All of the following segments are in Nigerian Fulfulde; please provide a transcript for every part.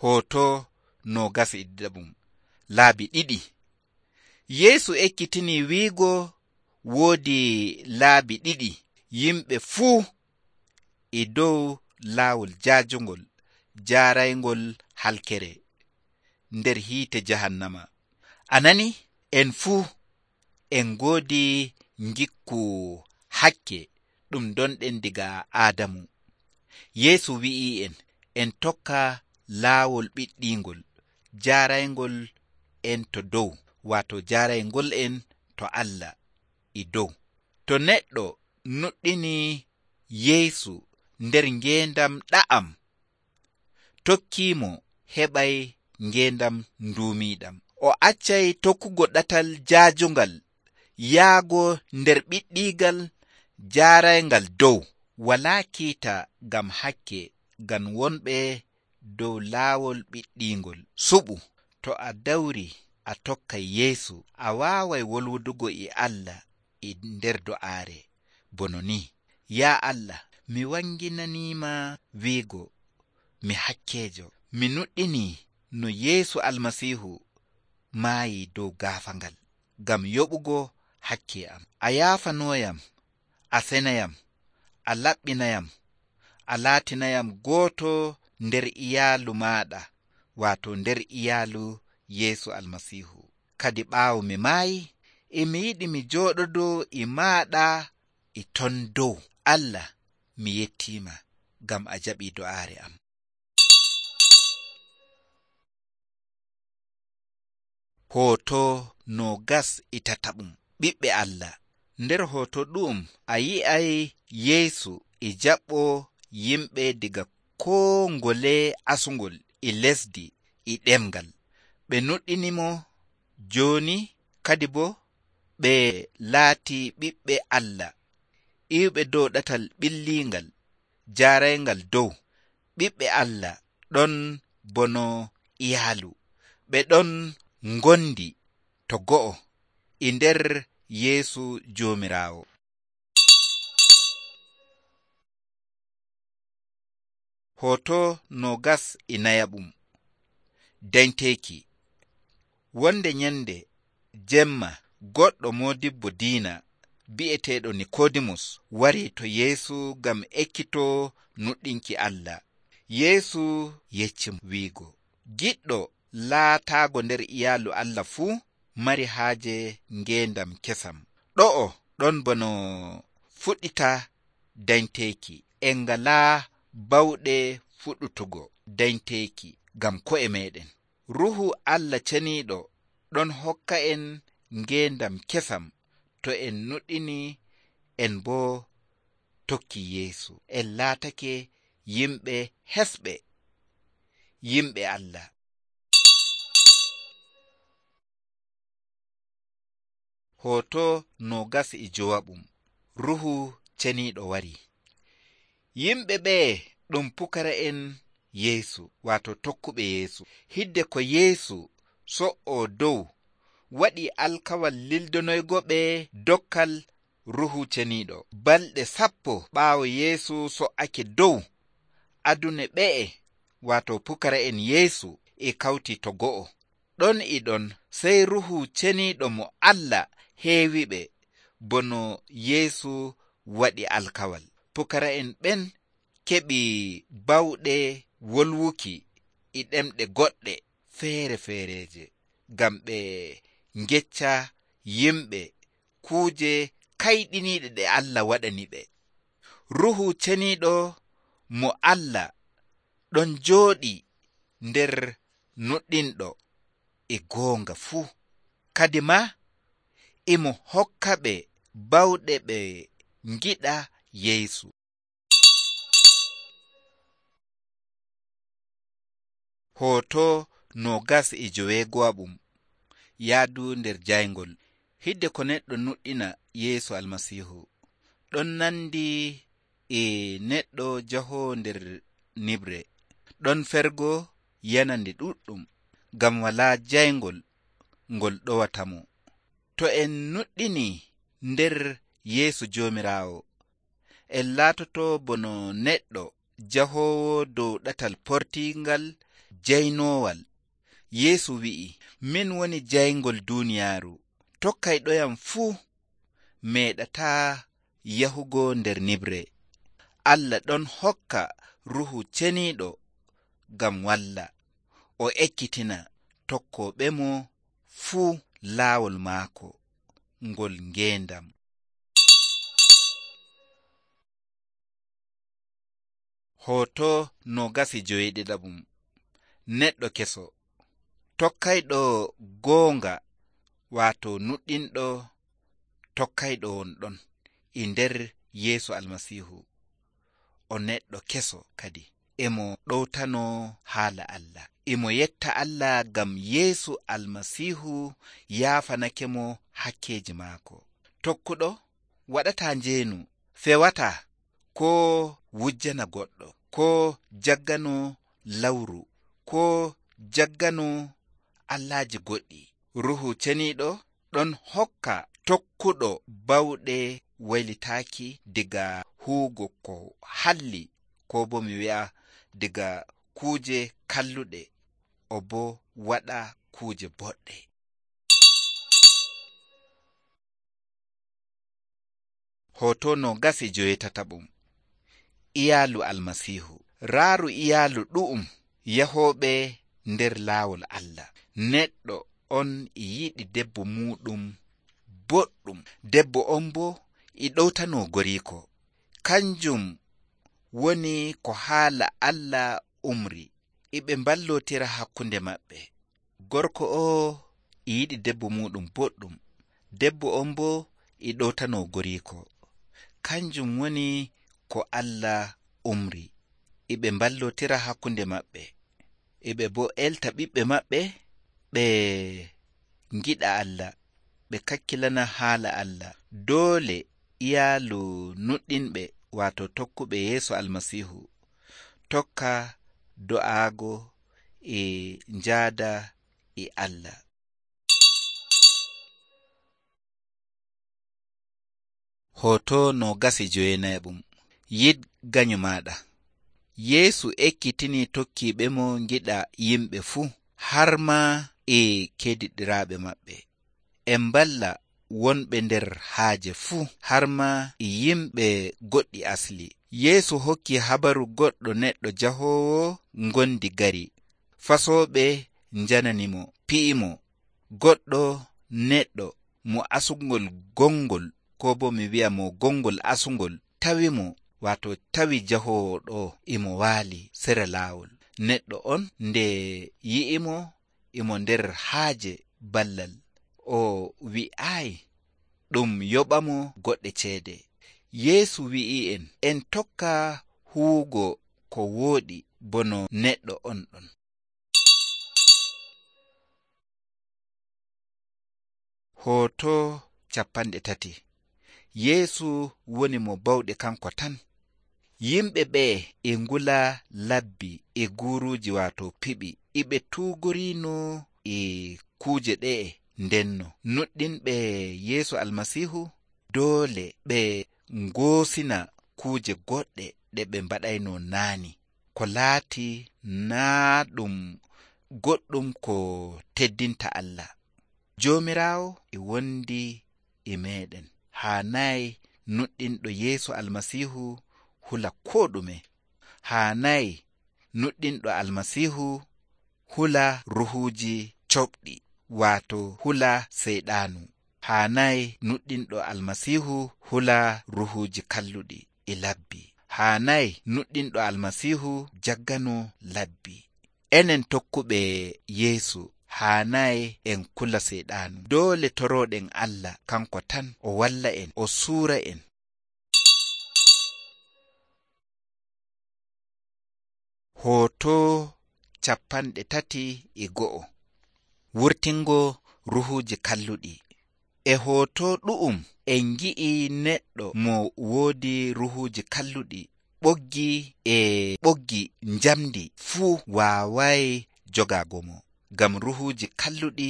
Hoto nogas e ɗiɗaɓum. Laabi ɗiɗi. Yeesu ekkitini wiigo woodi laabi ɗiɗi yimɓe fuu e dow laawol jaajungol jaaraygol halkere nder hiite jahannama. Anani en fuu en ngoodi ngikku hakke ɗum donɗen diga Aadamu. Yeesu wi'i en tokka laawol ɓiɗɗingol jaaraygol en to dow, waato jaaraygol en to Allah e dow. To neɗɗo nuɗɗini Yeesu nder ngeendam ɗa'am, tokkiimo heɓay ngeendam nduumiiɗam. O accay tokkugo ɗatal jaajungal yaago nder ɓiɗɗiigal jaarayngal dow. Walaa kiita ngam hakke ngam wonɓe dow laawol ɓiɗɗingol suɓu. To a dawri a tokkay Yeesu, a waaway wolwudugo e Allah e nder do'aare bono ni: yaa Allah, mi wanginaniima wiigo mi hakkeejo. Mi nuɗɗini no Yeesu Almasiihu maayi dow gaafangal ngam yoɓugo hakke am. A yaafanooyam, a senayam, a laɓɓinayam, a laatinayam gooto nder iyaalu maaɗa, waato nder iyaalu Yeesu Almasiihu. Kadi ɓaawo mi maayi, mi yiɗi mi jooɗodo e maaɗa e ton dow. Allah, mi yettiima ngam a jaɓii do'aare am. Hoto nogas e tataɓum. Ɓiɓɓe Allah. Nder hoto ɗum a yi'ay Yeesu e jaɓɓo yimɓe diga koo ngole asungol e lesdi e ɗemgal. Ɓe nuɗɗinimo jooni, kadi bo ɓe laati ɓiɓɓe Allah iwɓe dow ɗatal ɓillingal jaarayngal dow. Ɓiɓɓe Allah ɗon bono iyaalu, ɓe ɗon ngondi to go'o e nder Yeesu Joomiraawo. Hoto nogas e nayaɓum. Dañteeki. Wonde nyande jemma goɗɗo moodibbo diina bi'eteeɗo Nikoodimus wari to Yeesu ngam ekkitoo nuɗɗinki Allah. Yeesu yecci wiigo: giɗɗo laataago nder iyaalu Allah fuu mari haaje ngeendam kesam. Ɗo'o ɗon bono fuɗɗita dañteeki. En ngalaa bawɗe fuɗɗutugo dañteeki ngam ko'e meeɗen. Ruuhu Allah ceniiɗo ɗon hokka en ngeendam kesam to en nuɗɗini en boo tokki Yeesu. En laatake yimɓe hesɓe, yimɓe Allah. Hoto nogas e jowaɓum. Ruuhu ceniiɗo wari. Yimɓe ɓee ɗum pukara'en Yeesu, waato tokkuɓe Yeesu. Hidde ko Yeesu so'oo dow waɗi alkawal lildonoygo ɓe dokkal Ruuhu ceniiɗo. Balɗe 10 ɓaawo Yeesu so'ake dow, adune ɓe'e, waato pukara'en Yeesu e kawti to go'o. Ɗon e ɗon sey Ruuhu ceniiɗo mo Allah heewiɓe bono Yeesu waɗi alkawal. Pukara'en ɓen keɓi bawɗe wolwuki e ɗemɗe goɗɗe feere-feereje ngam ɓe ngecca yimɓe kuuje kayɗiniiɗe ɗe Allah waɗani ɓe. Ruuhu ceniiɗo mo Allah ɗon jooɗi nder nuɗɗinɗo e goonga fuu. Kadi ma imo hokka ɓe bawɗe ɓe ngiɗa Yeesu. Hoto nogas e joweego'aɓum. Yaadu nder jayngol. Hidde ko neɗɗo nuɗɗina Yeesu Almasiihu ɗon nandi e neɗɗo jahoo nder nibre. Ɗon fergo yanande ɗuɗɗum ngam walaa jayngol ngol ɗowatamo. To en nuɗɗini nder Yeesu Joomiraawo, en laatoto bono neɗɗo jahoowo dow ɗatal portiingal jaynoowal. Yeesu wi'i, min woni jayngol duuniyaaru. Tokkayɗoyam fuu meeɗataa yahugo nder nibre. Allah ɗon hokka Ruhu Ceniiɗo ngam walla o ekkitina tokkooɓemo fuu laawol maako ngol ngeendam. Hoto 27 neɗɗo keso. Tokkayɗo goonga waato nuɗɗinɗo tokkayɗo wonɗon e nder Yeesu Almasiihu. O neɗɗo keso kadi. Emo ɗowtano haala Allah. Emo yetta Allah ngam Yeesu Almasiihu yaafanakemo hakkeeji maako. Tokkuɗo waɗataa njeenu, fewataa, ko wujjana goɗɗo, ko jaggano lawru, ko jaggano allaaji goɗɗi. Ruhu Ceniiɗo ɗon hokka tokkuɗo bawɗe waylitaaki diga huugo ko halli, ko bo mi wi'a diga kuuje kalluɗe, o bo waɗa kuuje boɗɗe. Hoto 28 iyaalu Almasiihu. Raaru iyaalu ɗu'um yahooɓe nder laawol Allah. Neɗɗo on e yiɗi debbo muɗum boɗɗum. Debbo on bo e ɗowtano goriiko. Kanjum woni ko haala Allah umri. Iɓe mballotira hakkunde maɓɓe. Gorko o e yiɗi debbo muɗum boɗɗum. Debbo on bo e ɗowtano goriiko. Kanjum woni ko Allah umri. Iɓe mballotira hakkunde maɓɓe. Iɓe bo elta ɓiɓɓe maɓɓe ɓe ngiɗa Allah, ɓe kakkilana haala Allah. Doole iyaalu nuɗɗinɓe waato tokkuɓe Yeesu Almasiihu tokka do'aago e njaada e Allah. Hoto 29 yid ganyu maɗa. Yeesu ekkitini tokkiiɓemo ngiɗa yimɓe fuu, har ma e kediɗiraaɓe maɓɓe. En mballa wonɓe nder haaje fuu, har ma e yimɓe goɗɗi asli. Yeesu hokki habaru goɗɗo neɗɗo jahoowo ngondi gari. Fasooɓe njananimo, pi'imo. Goɗɗo neɗɗo mo asungol gongol, ko bo mi wi'a mo gongol asungol, tawimo, waato tawi jahoowo ɗo imo waali sera laawol. Neɗɗo on nde yi'imo imo nder haaje ballal, o wi'aayi ɗum yoɓamo goɗɗe ceede. Yeesu wi'i'en en tokka huugo ko wooɗi bono neɗɗo on ɗon. Hoto 30 Yeesu woni mo bawɗe kanko tan. Yimɓe ɓe e ngula labbi e guuruuji waato piɓi. Iɓe tuugorino e kuuje ɗe'e. Ndenno nuɗɗinɓe Yeesu Almasiihu doole ɓe ngoosina kuuje goɗɗe ɗe ɓe mbaɗayno naani, ko laati naa ɗum goɗɗum ko teddinta Allah. Joomiraawo e wondi e meeɗen. Haanayi nuɗɗinɗo Yeesu Almasiihu hula koo ɗume. Haanayi nuɗɗinɗo Almasiihu hula ruhuuji coɓɗi, waato hula seyɗaanu. Haanayi nuɗɗinɗo Almasiihu hula ruhuuji kalluɗi e labbi. Haanayi nuɗɗinɗo Almasiihu jaggano labbi. Enen tokkuɓe Yeesu haanayi en kula seyɗaanu. Doole torooɗen Allah kanko tan o walla en, o suura en. Hoto 31 wurtingo ruhuuji kalluɗi. E hoto ɗu'um en ngi'i neɗɗo mo woodi ruhuuji kalluɗi. Ɓoggi njamdi fuu waawaay jogaago mo, ngam ruhuuji kalluɗi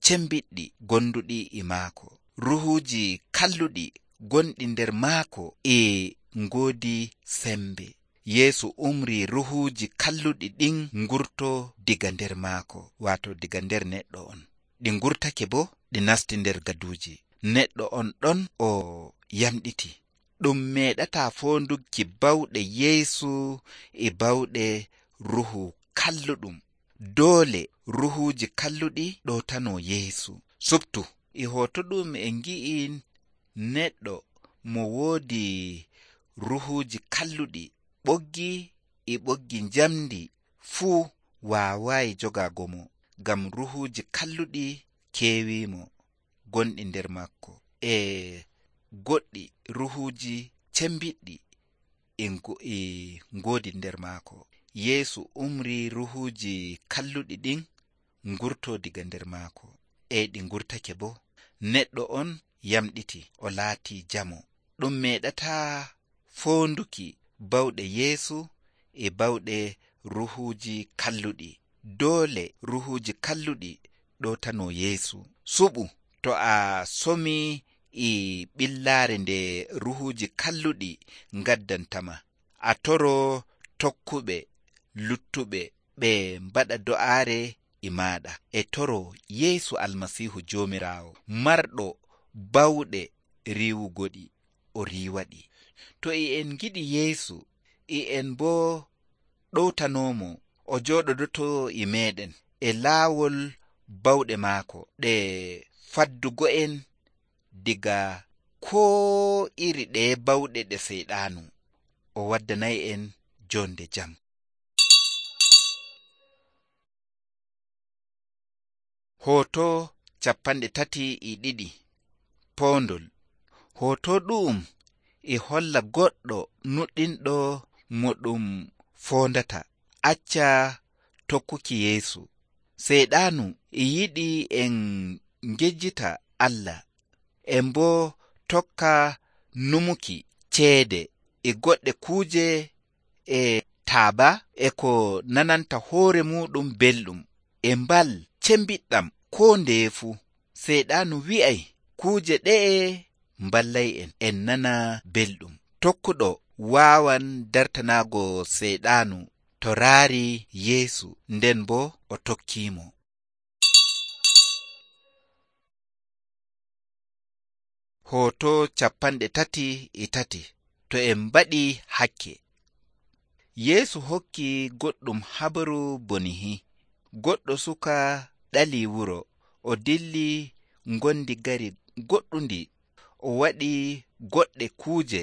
cembiɗɗi gonduɗi e maako. Ruhuuji kalluɗi gonɗi nder maako e ngoodi sembe. Yeesu umri ruhuuji kalluɗi ɗin ngurto diga nder maako, waato diga nder neɗɗo on. Ɗi ngurtake bo ɗi nasti nder gaduuji. Neɗɗo on ɗon o yamɗiti. Ɗum meeɗataa foonduki bawɗe Yeesu e bawɗe ruhu kalluɗum. Doole ruhuuji kalluɗi ɗootanoo Yeesu. Subtu e hooto ɗum en ngi'i neɗɗo mo woodi ruhuuji kalluɗi ɓoggi e ɓoggi njamndi fuu waawaayi jogaago mo, ngam ruhuuji kalluɗi keewiimo gonɗi nder makko, e goɗɗi ruhuuji cembiɗɗi e ngoodi nder maako. Yeesu umri ruhuuji kalluɗi ɗin ngurtoo diga nder maako, e ɗi ngurtake bo. Neɗɗo on yamɗiti, o laatii jamo. Ɗum meeɗataa foonduki bawɗe Yeesu e bawɗe ruhuuji kalluɗi. Doole ruhuuji kalluɗi ɗootanoo Yeesu. Suɓu to a somii e ɓillaare nde ruhuuji kalluɗi ngaddantama, a toroo tokkuɓe luttuɓe ɓe mbaɗa do'aare e maaɗa, e toroo Yeesu Almasiihu Joomiraawo, marɗo bawɗe riiwugoɗi, o riiwaɗi. To en ngiɗi Yeesu, en boo ɗowtanoomo o jooɗodotoo e meeɗen e laawol bawɗe maako ɗe faddugo'en diga koo iri ɗeye bawɗe ɗe Seyɗaanu, o waddanay'en joonde jam. Hooto 32 poondol. Hooto ɗum e holla goɗɗo nuɗɗinɗo mo ɗum foondata acca tokkuki Yeesu. Seyɗaanu e yiɗi en ngejjita Allah, en boo tokka numuki ceede e goɗɗe kuuje e taaba e ko nananta hoore muɗum belɗum e mbal cembiɗɗam koo ndeye fuu. Seyɗaanu wi'ay kuuje ɗe'e mballay'en en nana belɗum. Tokkuɗo waawan dartanaago Seyɗaanu to raari Yeesu, nden boo o tokkiimo. Hooto 33 to en mbaɗii hakke. Yeesu hokki goɗɗum habaru bonihi. Goɗɗo suka ɗalii wuro, o dilli ngondi gari goɗɗundi, o waɗi goɗɗe kuuje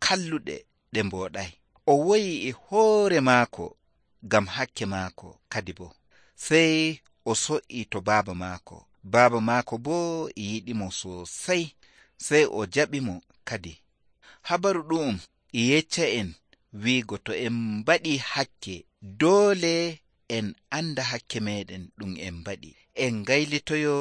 kalluɗe ɗe mbooɗay. O woyi e hoore maako ngam hakke maako kadi bo. Sey o so'ii to baaba maako. Baaba maako boo yiɗimo sosai. Sey o jaɓimo kadi. Habaru ɗum e yecca'en wiigo to en mbaɗii hakke, doole en anda hakke meɗen ɗum en mbaɗi, en gaylitoyo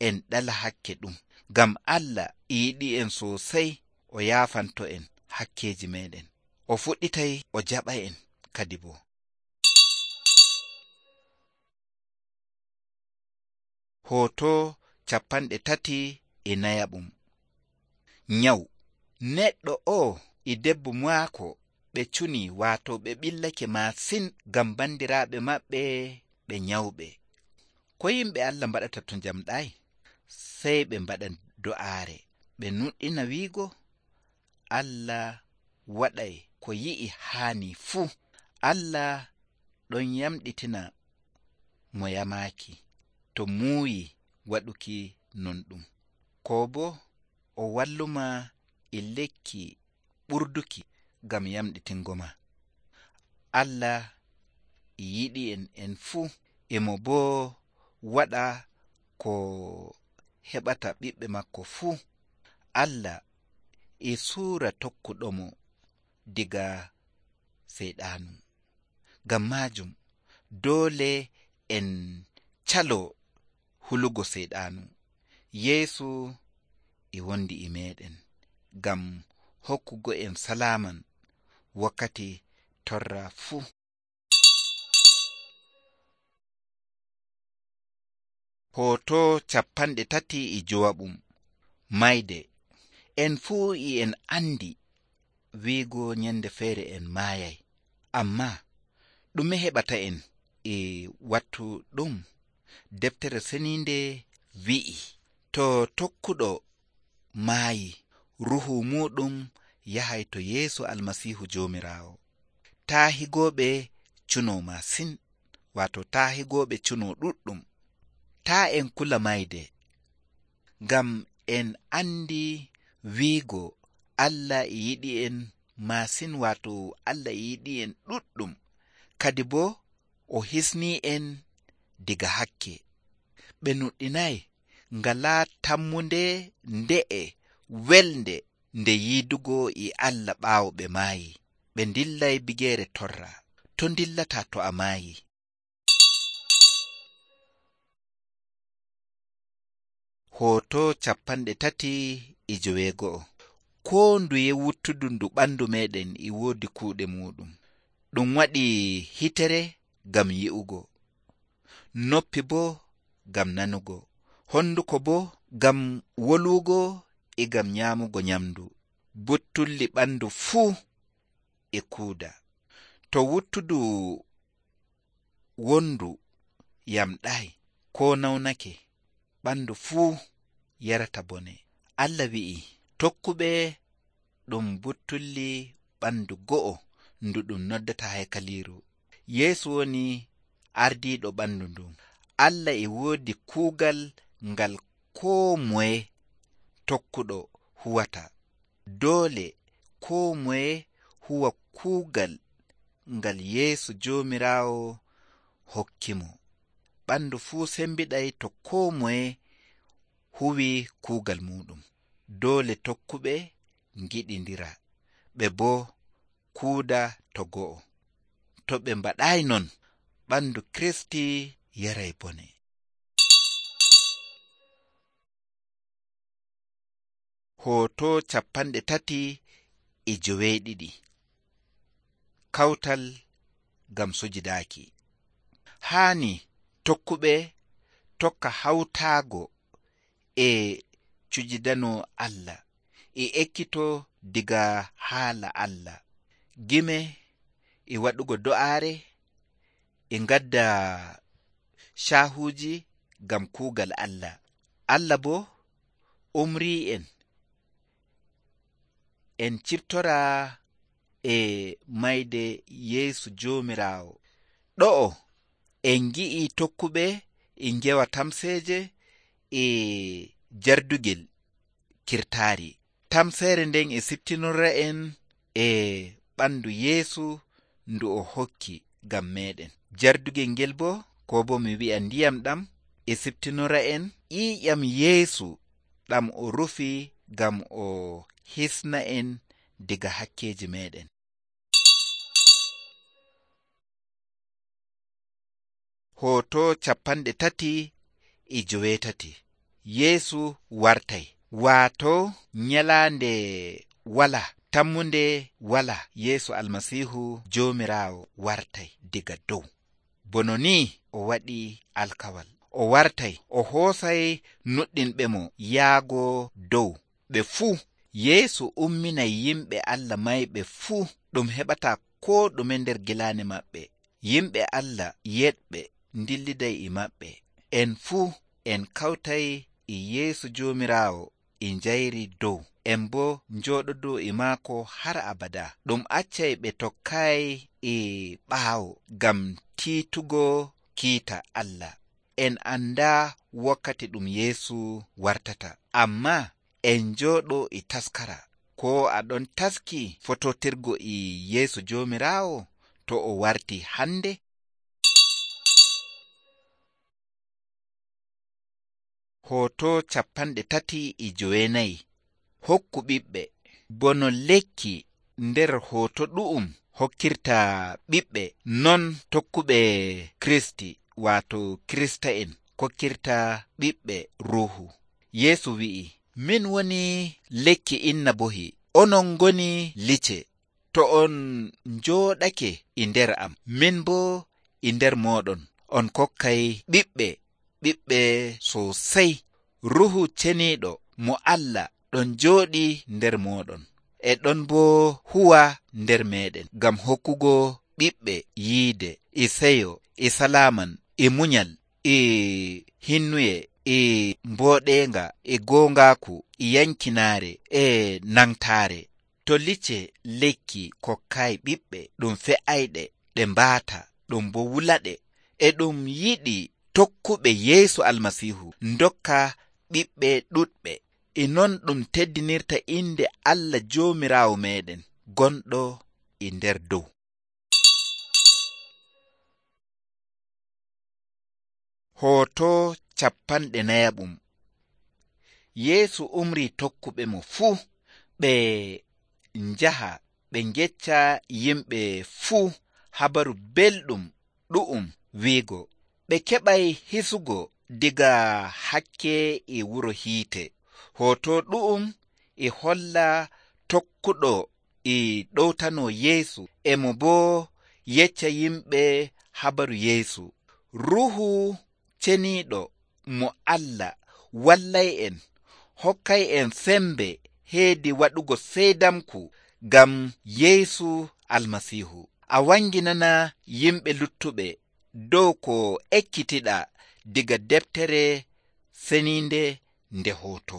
en ɗala hakke ɗum, ngam Allah yiɗi en sosai, o yaafanto en hakkeji meɗen, o fuɗɗitay o jaɓa en kadi bo. Hooto 34. Nyawu. Neɗɗo o e debbo maako ɓe cuni, waato ɓe ɓillake masin ngam bandiraaɓe maɓɓe ɓe nyawɓe. Ko yimɓe Allah mbaɗata to njamɗay? Sey ɓe mbaɗa do'aare, ɓe nuɗɗina wiigo Allah waɗay ko yi'i haani fuu. Allah ɗon yamɗitina mo yamaaki to muuyi waɗuki non ɗum, ko bo o walluma e lekki ɓurduki ngam yamɗitingo ma. Allah yiɗi en fuu, emo boo waɗa ko heɓata ɓiɓɓe makko fuu. Allah e suura tokkuɗomo diga Seyɗaanu. Ngam maajum doole en calo hulugo Seyɗaanu. Yeesu e wondi e meɗen ngam hokkugo en salaaman wakkati torra fuu. Hooto 35. Mayde. En fuu en andi wiigo nyande feere en maayay. Ammaa ɗume heɓata en e wattu ɗum? Deftere seniinde wi'i, to tokkuɗo maayi, ruhu muɗum yahay to Yeesu Almasiihu Joomiraawo. Taahigooɓe cunoo masin, waato taahigooɓe cunoo ɗuɗɗum. Taa en kula mayde, ngam en andi wiigo Allah e yiɗi en masin, waato Allah e yiɗi en ɗuɗɗum, kadi boo o hisnii en diga hakke. Ɓe nuɗɗinaay ngalaa tammunde nde'e welnde nde yiidugo e Allah ɓaawo ɓe maayi. Ɓe ndillay bigeere torra. To ndillataa to a maayi. Hooto 31. Koo nduye wuttudu ndu ɓandu meɗen e woodi kuuɗe muɗum. Ɗum waɗi hitere gam yi'ugo, noppi boo gam nanugo, honduko boo gam wolwugo e gam nyaamugo nyamdu. Buttulli ɓandu fuu e kuuda. To wuttudu wondu yamɗay koo nawnake, ɓandu fuu yarata bone. Allah wi'i, tokkuɓe ɗum buttulli ɓandu go'o ndu ɗum noddata haykaliiru. Yeesu woni ardiiɗo ɓandu ndun. Allah e woodi kuugal ngal koo moye tokkuɗo huwata. Doole koo moye huwa kuugal ngal Yeesu Joomiraawo hokkimo. Ɓandu fuu sembiɗay to koo moye huwi kuugal muɗum. Doole tokkuɓe ngiɗindira, ɓe boo kuuda to go'o. To ɓe mbaɗaay non, ɓandu Kristi yaray bone. Hooto 32. Kawtal gam sujidaaki. Haani tokkuɓe tokka hawtaago e cujidano Allah, e ekkito diga haala Allah, gime e waɗugo do'aare, e ngadda shaahuuji gam kuugal Allah. Allah boo umrii en ciftora e mayde Yeesu Joomiraawo. Ɗo'o en ngi'i tokkuɓe e ngewa tamseeje e jardugel kirtaari. Tamseere nden e siftinora en e ɓandu Yeesu ndu o hokki gam meɗen. Jardugel ngel boo, ko boo mi wi'a ndiyam ɗam, e siftinora en ƴiiƴam Yeesu ɗam o rufi gam o hisna en diga hakkeji meɗen. Hooto 38. Yeesu wartay. Waato nyalaande wala, tammunde wala, Yeesu Almasiihu Joomiraawo wartay diga dow. Bono ni o waɗi alkawal. O wartay, o hoosay nuɗɗinɓe mo yaago dow. Ɓe fuu, Yeesu umminay yimɓe Allah mayɓe fuu, ɗum heɓata koo ɗume nder gilaane maɓɓe. Yimɓe Allah yeɗɓe ndilliday e maɓɓe. En fuu en kawtay e Yeesu Joomiraawo e njayri dow. En boo njooɗodo e maako har abada. Ɗum accay ɓe tokkaay e ɓaawo gam tiitugo kiita Allah. En andaa wakkati ɗum Yeesu wartata, ammaa en njooɗo e taskara. Ko aɗon taski fototirgo e Yeesu Joomiraawo to o warti hande? Hooto 39. Hokku ɓiɓɓe. Bono lekki nder hooto ɗu'um hokkirta ɓiɓɓe, non tokkuɓe Kristi, waato Kirista'en, kokkirta ɓiɓɓe ruuhu. Yeesu wi'i, min woni lekki innabohi, onon ngoni lice. To on njooɗake e nder am, min boo e nder mooɗon, on kokkay ɓiɓɓe sosai. Ruhu ceniiɗo mo Allah ɗon jooɗi nder mooɗon, e ɗon boo huwa nder meɗen gam hokkugo ɓiɓɓe yiide, e seyo, e salaman, e munyal, e hinnuye, e mbooɗenga, e goongaaku, e yankinaare, e nangtaare. To licce lekki kokkay ɓiɓɓe ɗum fe'ayɗe ɗe mbaata, ɗum bo wulaɗe, e ɗum yiɗi tokkuɓe Yeesu Almasiihu ndokka ɓiɓɓe ɗuɗɓe. E non ɗum teddinirta inde Allah Joomiraawo meɗen gonɗo e nder dow. Hoto 40. Yeesu umri tokkuɓe mo fuu ɓe njaha ɓe ngecca yimɓe fuu habaru belɗum ɗu'um wiigo. Ɓe keɓay hisugo diga hakke e wuro hiite. Hoto ɗu'um e holla tokkuɗo e ɗowtano Yeesu, emo boo yecca yimɓe habaru Yeesu. Ruuhu ceniiɗo mo Allah wallay en, hokkay en sembe heedi waɗugo seydamku ngam Yeesu Almasiihu. A wanginana yimɓe luttuɓe dow ko ekkitiɗa diga deftere seniinde nde hoto.